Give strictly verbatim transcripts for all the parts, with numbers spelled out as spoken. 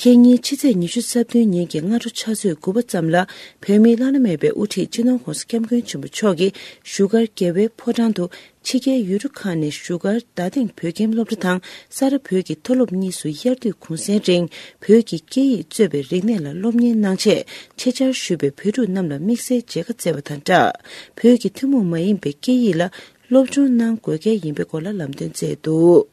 སྐྱེ་ཉིན་ཕྱི་ཚེས་ཉི་ཤུ་རྩ་བདུན་ཉིན་གྱི་སྔ་དྲོ་ཕྱག་ཚོད་དགུ་པ་ཙམ་ལ། བོད་མིའི་བླ་ན་མེད་པའི་དབུ་ཁྲིད་སྤྱི་ནོར་༸གོང་ས་༸སྐྱབས་མགོན་ཆེན་པོ་མཆོག་གིས་བཞུགས་སྒར་རྒྱལ་བའི་ཕོ་བྲང་དུ། ཕྱི་རྒྱལ་ཡུལ་གྲུ་ཁག་ནས་བཞུགས་སྒར་རྡ་སྟེང་བོད་ཁྱིམ་སློབ་གྲྭ་དང་ས་རཱ་བོད་ཀྱི་མཐོ་སློབ་གཉིས་སུ་དབྱར་དུས་གུང་སེང་རིང་བོད་ཀྱི་སྐད་ཡིག་གཙོས་པའི་རིག་གནས་ལ་སློབ་གཉེར་གནང་ཆེད་ཆེད་བཅར་ཞུས་པའི་བོད་ཕྲུག་རྣམས་ལ་དམིགས་བསལ་མཇལ་ཁ་བསྩལ་བ་དང་སྦྲགས། བོད་ཀྱི་ཐུན་མོང་མ་ཡིན་པའི་སྐད་ཡིག་ལ་སློབ་སྦྱོང་གནང་དགོས་གལ་ཡིན་པའི་སྐོར་ལ་ལམ་སྟོན་བསྩལ་འདུག་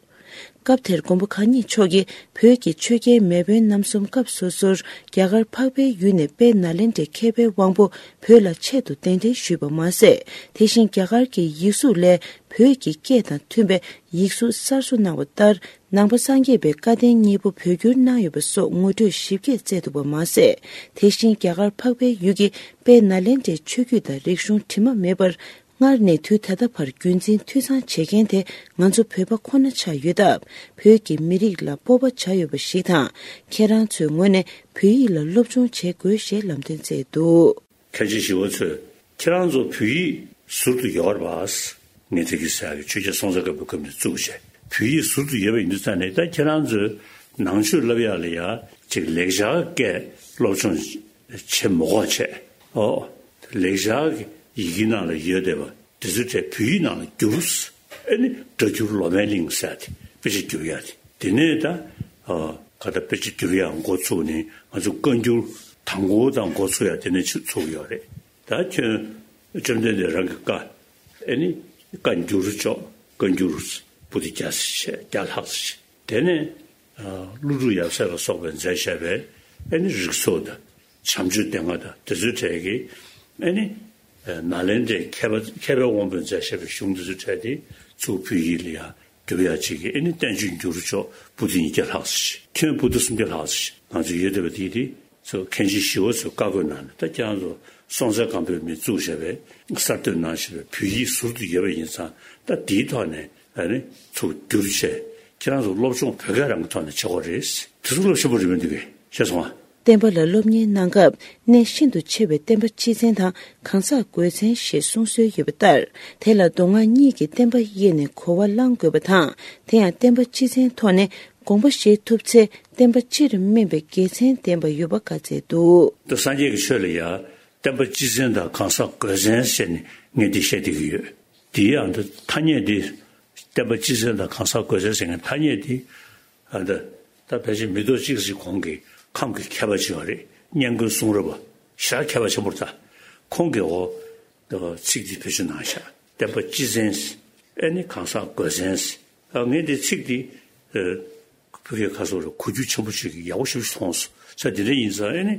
སྐབས་དེར་མགོན་པོ་གང་ཉིད་མཆོག་གིས་བོད་ཀྱི་ཆོས་རྒྱལ་མེས་དབོན་རྣམ་གསུམ་སྐབས་སོ་སོར་རྒྱ་གར་འཕགས་པའི་ཡུལ་ནས་དཔལ་ནཱ་ལེནྡྲའི་མཁས་པའི་དབང་པོ་བོད་ལ་ཆེད་དུ་གདན་འདྲེན་ཞུས་པ་མ་ཟད། དེ་བཞིན་རྒྱ་གར་གྱི་ཡིག་གཟུགས་ལས་བོད་ཀྱི་སྐད་དང་མཐུན་པའི་ཡིག་གཟུགས་གསར་བཟོ་གནང་བ་ལྟར། ནང་པ་སངས་རྒྱས་པའི་བཀའ་བསྟན་གཉིས་པོ་བོད་བསྒྱུར་གནང་ཡོད་པ་སོགས་ངོ་སྤྲོད་ཞིབ་རྒྱས་བསྩལ་འདུག་པ་མ་ཟད། དེ་བཞིན་རྒྱ་གར་འཕགས་པའི་ཡུལ་གྱི་དཔལ་ནཱ་ལེནྡྲའི་ཆོས་བརྒྱུད་དང་རིག་གཞུང་དྲི་མ་མེད་པར། སྔར་ནས་དུས་ད་ལྟ་བར་རྒྱུན་འཛིན་འཐུས་ཚང་བྱེད་མཁན་དེ་ང་ཚོ་བོད་པ་ཁོ་ན་ཆགས་ཡོད་སྟབས། བོད་ཀྱི་མི་རིགས་ལ་སྤོབས་པ་བྱ་འོས་པ་ཞིག་དང་། ཁྱེད་རང་ཚོའི་ངོས་ནས་བོད་ཡིག་ལ་སློབ་སྦྱོང་བྱེད་དགོས་ཞེས་ལམ་སྟོན་བསྩལ་འདུག་མཁན་ཆེན་ཞི་བ་འཚོས་ཁྱེད་རང་ཚོ་བོད་ཡིག་ཟུར་དུ་ཡོད་རེད་པ། ངས་དེ་གི་ཟེར་གི་ཆོས་རྒྱལ་སྲོང་བཙན་སྒམ་པོའི་སྐབས་ནས་བཙུགས་བྱས་བོད་ཡིག་ཟུར་དུ་ཡོད་པ་ཡིན་དུས་ཙང་ནས། ད་ཁྱེད་རང་ཚོས་ནང་ཆོས་བསླབ་ཡག་ལ་ཡ་ཅིག་ལེགས་སྦྱར་སྐད་སློབ་སྦྱོང་བྱེད་མི་དགོས་བྱས། ཨོ། ལེགས་སྦྱར་གྱི་ཡི་གེ་ནང་ལ་ཡོད་བསྡད་པ་དེ་ཚོའི་གྲས་བོད་ཡིག་ནང་ལ་བསྒྱུར། ཨེ་ནི་སྒྲ་བསྒྱུར་ལོ་མའི་གླིང་ཟེར་ཡ་དེ་དཔེ་ཆ་བསྒྱུར་ཡ་དེ། དེ་ནས་ད་ཨ་ག་ད་དཔེ་ཆ་བསྒྱུར་ཡ་འགོ་ཚུགས་ནས་ང་ཚོ་བཀའ་འགྱུར་དང་པོ་དང་འགོ་ཚུགས་ཡ་དེ་ནས་ཚུགས་ཡོད་རེད། ད་ཁྱོད་བཅོམ་ལྡན་འདས་རང་གི་བཀའ། ཨེ་ནི་བཀའ་འགྱུར་ལྕོག་བཀའ་འགྱུར་པོ་ཏི་བརྒྱ་ཙམ་བྱས། བརྒྱ་ལྷག་ཙམ་བྱས། དེ་ནས་ཀླུ་སྒྲུབ་ཡབ་སྲས་ལ་སོགས་པས་མཛད་བཞག་པའི་ཨེ་ནི་རིགས་ཚོགས་དང་། བྱམས་ཆོས་སྡེ་ལྔ་དང་དེ་ཚོའི་གྲས་ཀྱི་ཨེ་ནི་ནཱ་ལེནྡྲའི་མཁས་པ་མཁས་པའི་དབང་པོས་མཛད་བཞག་པའི་གཞུང་དེ་ཚོའི་གྲས་དེ་ཚུར་བོད་ཡིག་ལ་ཡང་བསྒྱུར་ཡག་ཅིག་གི་ཨེ་ནི་བསྟན་བཅོས་འགྱུར་ལྕོག་པོ་ཏི་ཉིས་བརྒྱ་ལྷག་ཙམ་ཞིག་ཁྱོན་པོ་ཏི་སུམ་བརྒྱ་ལྷག་ཙམ་ཞིག་ང་ཚོ་ཡོད་བསྡད་པ་དེ་དེ་ཚོ་མཁན་ཆེན་ཞི་བ་འཚོས་བཀའ་བསྒོ་གནང་ནས། ད་ཁྱེད་རང་ཚོ་སྲོང་བཙན་སྒམ་པོས་མི་བཙུགས་བཞག་པའི་གསར་གཏོད་གནང་བཞག་པའི་བོད་ཡིག་ཟུར་དུ་ཡོད་པ་ཡིན་ཙང་། ད་དེའི་ཐོག་ནས་ཨ་ནི་ཚུར་བསྒྱུར་བྱས། ཁྱེད་རང་ཚོ་སློབ་སྦྱོང་བོད་སྐད་རང་གི་ཐོག་ནས་བྱེད་དགོས་རེད། དེ་ཚོ་སློབ་ཆེན་པོ་རེད་མི་འདུག་གས། ཤེས་སོང་ཨ། བསྟན་པ་ལ་སློབ་གཉེར་གནང་སྐབས་གནད་ཤིན་ཏུ་ཆེ་བའི་བསྟན་པ་སྤྱི་བཙན་དང་གང་ཟག་དགོས་མཚན་ཞེས་གསུང་སྲོལ་ཡོད་པ་ལྟར། དེ་ལ་མདོ་སྔགས་གཉིས་ཀྱི་བསྟན་པ་དབྱེ་ནས་གོ་བ་བླང་དགོས་པ་དང་། དེ་ཡང་བསྟན་པ་སྤྱི་བཙན་ཐོག་ནས་དགོངས་པ་བཞེས་ཐུབ་ཚེ། བསྟན་པ་སྤྱིར་སྨིན་པའི་དགེ་མཚན་ལྡན་པ་ཡོད་པ་བཀའ་སྩལ་འདུག་ད་སངས་རྒྱས་ཀྱི་ཆོས་ལ་ཡང་བསྟན་པ་སྤྱི་བཙན་དང་གང་ཟག་དགོས་མཚན་ཟེར་ནས་ངས་འདི་བཤད་བསྡད་ཀྱི་ཡོད། དེའི་ཨ་འདི་ཐ་སྙད་འདི། བསྟན་པ་སྤྱི་བཙན་དང་གང་ཟག་དགོས་མཚན་ཟེར་མཁན་ཐ་སྙད་འདི། ཨ་འདི་ད་ཕལ་ཆེར་མི་ཐོག་གཅིག་ཙམ་གོང་གི་ཁམས་ཀྱི་མཁས་པ་ཅིག་ཡོད་རེད། སྙན་དགོན་གསུང་རབ་པ་ཞེ་དྲག་མཁས་པ་ཆེན་པོ་རེད། ད་ཁོང་གིས་འོ་ཚིག་འདི་བེད་སྤྱོད་གནང་ཤག་བསྟན་པ་སྤྱི་བཙན། ཨེ་ནི་གང་ཟག་དགོས་མཚན། ཨ་ངས་འདི་ཚིག་འདི། ཨ། བོད་སྐད་ཁ་སོགས་ལ་གོ་རྒྱུ་ཆེན་པོ་ཞིག་ཡག་པོ་ཞིག་མཐོང་སོང་། ས་དེ་འདྲ་ཡིན་ཙང་ཨེ་ནི།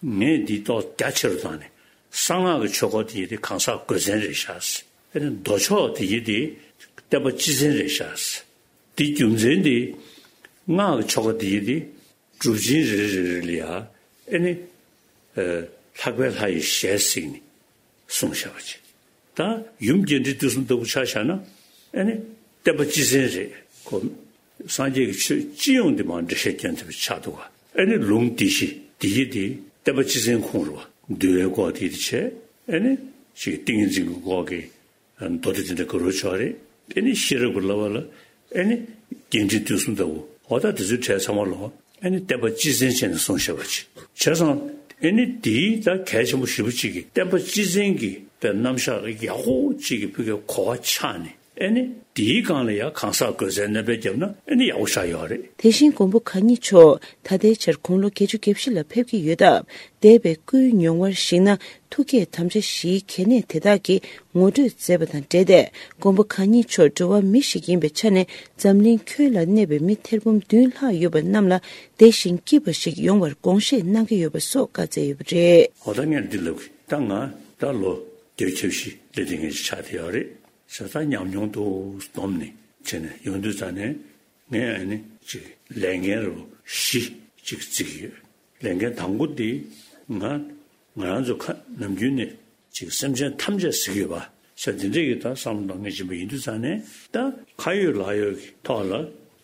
ངས་འདི་ཏོག་རྒྱ་ཆེ་རུ་བཏང་ནས། གསང་སྔགས་ཀྱི་ཆོས་སྐོར་དེ་ཡི་དེ་གང་ཟག་དགོས་མཚན་རེད་ཤག་ཨེ་ནི་མདོ་ཕྱོགས་དེ་ཡི་དེ་བསྟན་པ་སྤྱི་བཙན་རེད་ཤག་དེ་རྒྱུ་མཚན་དེ། སྔགས་ཀྱི་ཆོས་སྐོར་དེ་ཡི་དེ། སྒྲུབ་ཆེན་རེ་རེ་རེ་ལ་ཡ། ཨེ་ནི། ཨ། ལྷག་པའི་ལྷ་ཡི་ཞལ་གཟིགས་ནས། གསུངས་བཞག་པ་ཅིག་ད་ཡུམ་རྒྱས་འབྲིང་བསྡུས་གསུམ་ལྟ་བུ་ཆ་བཞག་ན། ཨེ་ནི་བསྟན་པ་སྤྱི་བཙན་རེད། ཁོ་སངས་རྒྱས་ཀྱི་ཆོས་སྤྱི་ཡོངས་འདི་མར་འགྲེལ་བཤད་སྐྱོན་ཐུབ་པའི་ཆགས་འདུག་ག་ཨེ་ནི་ལུང་སྡེ་བཞི་འདི་ཡི་འདི་བསྟན་པ་སྤྱི་བཙན་ཁོངས་རེད་པ། འདུལ་བའི་སྐོར་དེ་འདི་བྱས། ཨེ་ནི་ཅིག་ཏིང་ངེ་འཛིན་གྱི་སྐོར་གྱི་མདོ་སྡེ་དེ་འདྲ་ག་རུ་ཆོག་རེད། ཨེ་ནི་ཤེས་རབ་ཀྱི་བསླབ་པ་ལ། ཨེ་ནི་རྒྱས་འབྲིང་བསྡུས་གསུམ་ལྟ་བུ། འོ་ད་དེ་ཚོའི་གྲས་ཚང་མ་ལོ། ཨེ་ནི་བསྟན་པ་སྤྱི་བཙན་བྱས་ནས་གསུངས་བཞག་པ་ཅིག་བྱས་ཙང་ཨེ་ནི་དེའི་ད་གལ་ཆེན་པོ་ཞེ་པོ་ཅིག་གིས་བསྟན་པ་སྤྱི་བཙན་གྱི་དཔེ་རྣམ་གཞག་ལ་ཡག་པོ་ཅིག་གི་ཕུགས་ཀྱི་གོ་བ་ཆགས་ནས། ཨེ་ནི་དེའི་སྒང་ལ་ཡང་གང་ཟག་དགོས་མཚན་སྣོན་པ་བརྒྱབ་ན་ཨེ་ནི་ཡག་པོ་ཆགས་ཡོད་རེད། དེ་བཞིན་མགོན་པོ་གང་ཉིད་མཆོག་ད་ལྟའི་ཆར་དགུང་ལོ་བརྒྱད་ཅུ་གྱ་བཞི་ལ་ཕེབས་ཀྱི་ཡོད་སྟབས། འདས་པའི་སྐུའི་མྱོང་བར་གཞིགས་ན། ཐུགས་བསྐྱེད་དམ་བཅའ་བཞིའི་གལ་གནད་དེ་དག་གི་ངོ་སྤྲོད་མཛད་པ་དང་འབྲེལ་ཏེ། མགོན་པོ་གང་ཉིད་མཆོག་འགྲོ་བ་མི་ཞིག་ཡིན་པའི་ཆ་ནས། འཛམ་གླིང་ཁྱོན་ལ་གནས་པའི་མི་ཐེར་འབུམ་བདུན་ལྷག་ཡོད་པ་རྣམས་ལ་བདེ་ཞིང་སྐྱིད་པ་ཞིག་ཡོང་བར་དགོངས་བཞེས་གནང་གི་ཡོད་པ་སོགས་བཀའ་སྩལ་ཡོད་པ་རེད། འོ་ད་ངས་འདི་ལབ་ཀྱི། ད་ང་ད་ལོ་བརྒྱད་ཅུ་གྱ་བཞི་སླེབས་བསྡད་མཁན་ཞིག་ཆགས་བསྡད་ཡོད་རེད། ས་ད་ཉམས་མྱོང་འདུག་སྡོམ་ནས་བྱས་ནས་ཡོང་དུས་ཙ་ནས། ངས་ཨ་ནི་ཅིག་ལས་འགན་རུ་བཞི་ཅིག་བརྩི་གི་ཡོད། ལས་འགན་དང་པོ་འདི་ང་ང་རང་ཚོ་ཁ་ནམ་རྒྱུན་ནས་ཅིག་སེམས་ཅན་ཐམས་ཅད་ཟེར་གི་ཡོད་པ། ས་འདི་འདྲས་ཀྱི་ད་བསམ་བློ་གཏོང་མཁན་ཅིག་ཡིན་པ་ཡིན་དུས་ཙང་ནས། ད་ཁ་ཡོད་ལག་ཡོད་ཀྱི་ཐོག་ལ།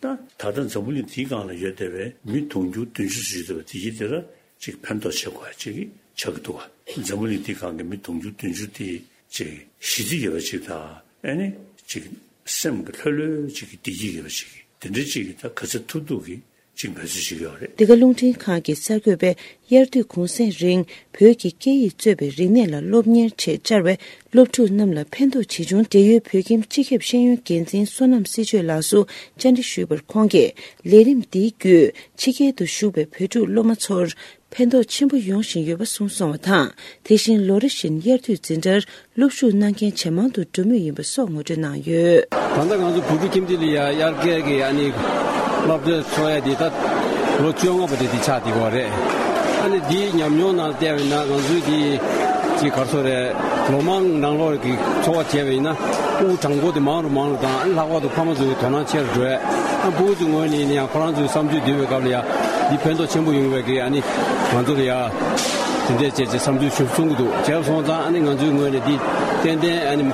ད་ད་ལྟ་འཛམ་བུ་གླིང་འདིའི་སྒང་ལ་ཡོད་བསྡད་པའི་མི་དུང་ཕྱུར་བདུན་ཅུ་ཙམ་ཡོད་བསྡད་པ་དེ་ཡིན་དེ་ལ་ཅིག་ཕན་ཐོགས་བྱེད་དགོས་ཡ་ཅིག་ཆགས་ཀྱི་འདུག་བ། འཛམ་བུ་གླིང་འདིའི་སྒང་གི་མི་དུང་ཕྱུར་བདུན་ཅུ་དེ་ཅིག་ཞི་བདེ་ཡོད་པ་ཅིག་དང་། ཨ་ནི་ཅིག་སེམས་ཀྱི་ལྷོད་ལྷོད་ཅིག་གི་བདེ་སྐྱིད་ཡོད་པ་ཅིག་དེ་འདྲ་ཅིག་གི་ད་ག་ཚོད་ཐུབ་ཐུབ་ཀྱི། ཅིག་འབད་རྩོལ་བྱེད་ཀྱི་ཡོད་རེད། འདི་ག་རླུང་འཕྲིན་ཁང་གི་གསར་འགོད་པས་དབྱར་དུས་གུང་སེང་རིང་བོད་ཀྱི་སྐད་ཡིག་གཙོས་པའི་རིག་གནས་ལ་སློབ་གཉེར་ཆེད་བཅར་བའི་སློབ་ཕྲུག་རྣམས་ལ་ཕན་ཐོགས་ཇི་བྱུང་། འབྲེལ་ཡོད་བོད་ཁྱིམ་སྤྱི་ཁྱབ་ཤེས་ཡོན་འགན་འཛིན་བསོད་ནམས་སྲིད་ཆོས་ལགས་སུ་བཅར་འདྲི་ཞུས་པར། ཁོང་གིས་ལས་རིམ་འདིའི་བརྒྱུད་ཕྱི་རྒྱལ་དུ་བཞུགས་པའི་བོད་ཕྲུག་སློབ་མ་ཚོར་ཕན་ཐོགས་ཆེན་པོ་ཡོང་བཞིན་ཡོད་པ་གསུངས་སོང་བ་དང་། དེ་བཞིན་ལོ་རེ་བཞིན་དབྱར་དུས་འཛིན་གྲྭར་སློབ་ཞུགས་གནང་མཁན་ཇེ་མང་དུ་འགྲོ་མུས་ཡིན་པ་སོགས་ངོ་སྤྲོད་གནང་ཡོད། ད་ལྟ་ང་ཚོ་བོད་ཕྲུག་ཁྱིམ་སྡེ་ལ་ཡ་དབྱར་ཁའི་གི་ཨ་ནི་སློབ་གྲྭ་ཚོགས་ཡ་དེ་ད་ལོ་བཅོ་ལྔ་པ་དེ་དེ་ཆགས་བསྡད་ཡོད་རེད། ཨ་ནི་དེའི་ཉམས་མྱོང་ནང་བལྟས་པ་ཡིན་ན་ང་ཚོའི་དེ་ཅིག་ག་རེ་ཟེར་དགོས་རེད། ལོ་མང་ནང་ལོགས་ཀྱི་འཚོ་བ་བྱས་པ་ཡིན་ན་ཕྲུ་གུ་གྲངས་འབོར་དེ་མང་རུ་མང་རུ་དང་། ཨ་ནི་ལྷག་པར་དུ་ཕ་མ་ཚོའི་དོ་སྣང་ཆེ་རུ་འགྲོ་ཡ། ཨ་ཕྲུ་གུ་ཚོའི་ངོས་ནས་ཡིན་ན་ཡང་ཁོ་རང་ཚོའི་བསམ་ཚུལ་བསྡུས་པའི་སྐབས་ལ་ཡ་འདི་ཕན་ཐོགས་ཆེན་པོ་ཡོང་བའི་གི་ཨ་ནི་ང་ཚོ་ལ་ཡ་དེ་འདྲས་བྱས་བྱས་བསམ་ཚུལ་ཞིག་གསུང་གི་འདུག་བྱས་སོང་ཙང་ཨ་ནི་ང་ཚོའི་ངོས་ནས་འདི་ཏན་ཏན་ཨ་ནི་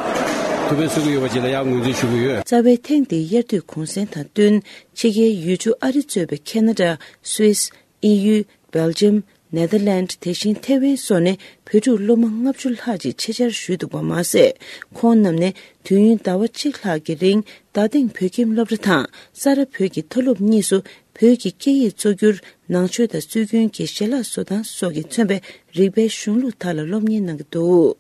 ཐུགས་ཕན་གསོས་ཀྱི་ཡོད་པ་ཅིག་ལ་ཡ་ངོས་འཛིན་ཞུ་གི་ཡོད། རྩ་བའི་ཐེངས་འདིའི་དབྱར་དུས་གུང་སེང་དང་བསྟུན་ཕྱི་རྒྱལ་ཡུལ་གྲུ་ཨ་རི་གཙོས་པའི་ཁེ་ན་ཌ། སུད་སི། དབྱིན་ཡུལ། སྦེལ་ཇམ། ནེ་དར་ལེནྜ། དེ་བཞིན་ཐེ་ཝན་སོགས་ནས་བོད་ཕྲུག་སློབ་མ་ལྔ་བཅུ་ལྷག་ཅིག་ཆེད་བཅར་ཞུས་འདུག་པ་མ་ཟད། ཁོང་རྣམས་ནས་དུས་ཡུན་ཟླ་བ་གཅིག་ལྷག་གི་རིང་རྡ་སྟེང་བོད་ཁྱིམ་སློབ་གྲྭ་དང་ས་རཱ་བོད་ཀྱི་མཐོ་སློབ་གཉིས་སུ་བོད་ཀྱི་སྐད་ཡིག་གཙོ་གྱུར་ནང་ཆོས་དང་སྲོལ་རྒྱུན་གྱི་ཞལ་ལག་བཟོ་སྟངས་སོགས་ཀྱིས་མཚོན་པའི་རིག་པའི་གཞུང་ལུགས་དག་ལ་སློབ་གཉེར་གནང་གི་འདུག